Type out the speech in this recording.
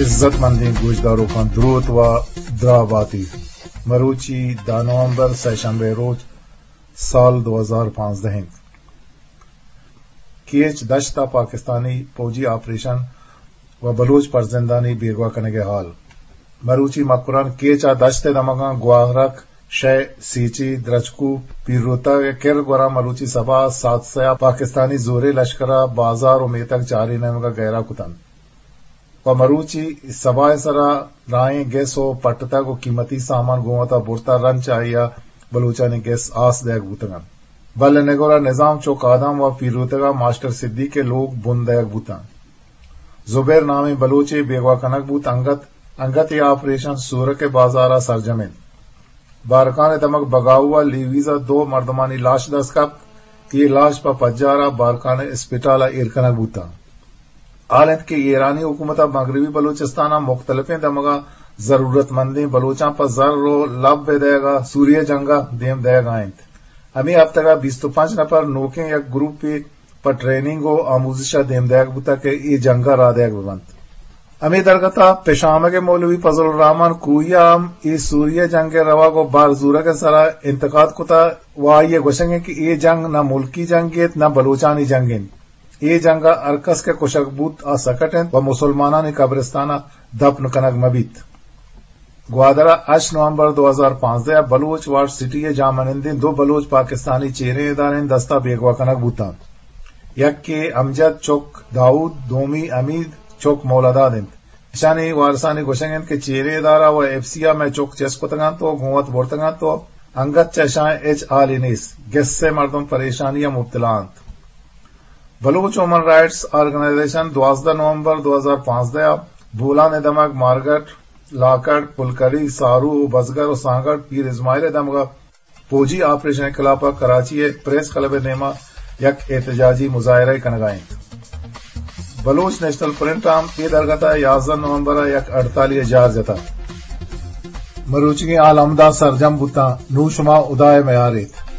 عزت مندیں گوشداروکاں دروت و دراہ باتی۔ مروچی دہ نومبر، سئے شمبے روچ، سال دو ہزار پانزدہ انت۔ کیچ دشت ء پاکستانی پوجی آپریشن و بلوچ پرزندانی بیگواہ کنگ ء حال۔ مروچی مکران کیچ ء دشت ء دمگاں گواہرک، شے، سیچی، درچکو، پیروتگ ء کر گورا مروچی سبا سات سیا پاکستانی زورے لشکر ء بازار و میتگ چاری نیمگ ء گہرا کتنت۔ پہ مروچی سبا ء سرا راہیں گس و پٹتگ و قیمتی سامان گوں وتا برتا، رند چہ آئی ء بلوچانی گس آس دئیگ بوتگ انت۔ بل نگور ء نظام چک آدم و پیروتگ ء ماسٹر صدیق ء لوگ بن دئیگ بوتاں۔ زبیر نامیں بلوچے بیگواہ کنگ بوت، انگت، انگت اے آپریشن سورک ء بازار ء سرجم انت۔ بارکان ء دمگ بگاؤ ء لیویز ء دو مردمانی لاش دست کپت کہ اے لاش پہ پجار ء بارکان ء اسپتال ء ایر کنگ بوتاں۔ حال انت کہ ایرانی حکومت ء مغربی بلوچستان ء مختلفیں دمگاں ضرورت مندیں بلوچاں پہ زر و لب ء دئیگ ء سوریہ جنگ ء دیم دئیگ ء انت۔ ہمے ہفتگ ء بیست و پنچ نفر نوکیں یک گروپے پہ ٹریننگ و آموزش ء دیم دئیگ بوتگ کہ اے جنگ ء راہ دئیگ بہ بنت۔ ہمے درگت ء پشامگ ء مولوی فضل الرحمن کوہی ء ہم اے سوریہ جنگ ء روگ و بار زورگ ء سرا انتقاد کتگ و آئی ء گوشگ انت کہ اے جنگ نہ ملکی جنگے ات نہ بلوچانی جنگ انت۔ اے جنگ ء ہر کس کہ کشگ بوت آ سکٹ انت و مسلمانانی قبرستان ء دپن کنگ مہ بیت۔ گوادر ء ہشت نومبر دو ہزار پانزدہ ء بلوچ وارڈ سٹی ء جاہ منندیں دو بلوچ پاکستانی چیریں اداریں دست ء بیگواہ کنگ بوتاں۔ یکے امجد چک داؤد، دومی حمید چک مولاداد انت۔ اشانی وارثانی گوشگ انت کہ چیریں ادارہ و ایف سی ء مئے چک چست کتگ انت و گوں وت برتگ انت و انگت چہ اشاں ہچ حالے نیست۔ گس ء مردم پریشانی ء مبتلا انت۔ بلوچ وومن رائٹس آرگنائزیشن دوازدہ نومبر دو ہزار پانزدہ ء بولان ء دمگ مارگٹ، لاکڑ، پلکڑی، سارو و بزگر و سانگڑ پیر اسماعیل ء دمگ ء پوجی آپریشن ء خلاف ء کراچی ء پریس کلب ء نیمگ ء یک احتجاجی مظاہرہ ء کنگ ء انت۔ بلوچ نیشنل فرنٹ ء ہم اے درگت ء یازدہ نومبر ء یک ہڑتالی ء جار جتگ۔ مروچیگیں حال ہمدا سرجم بوتاں۔ نوں شما ہدا ء میار ایت۔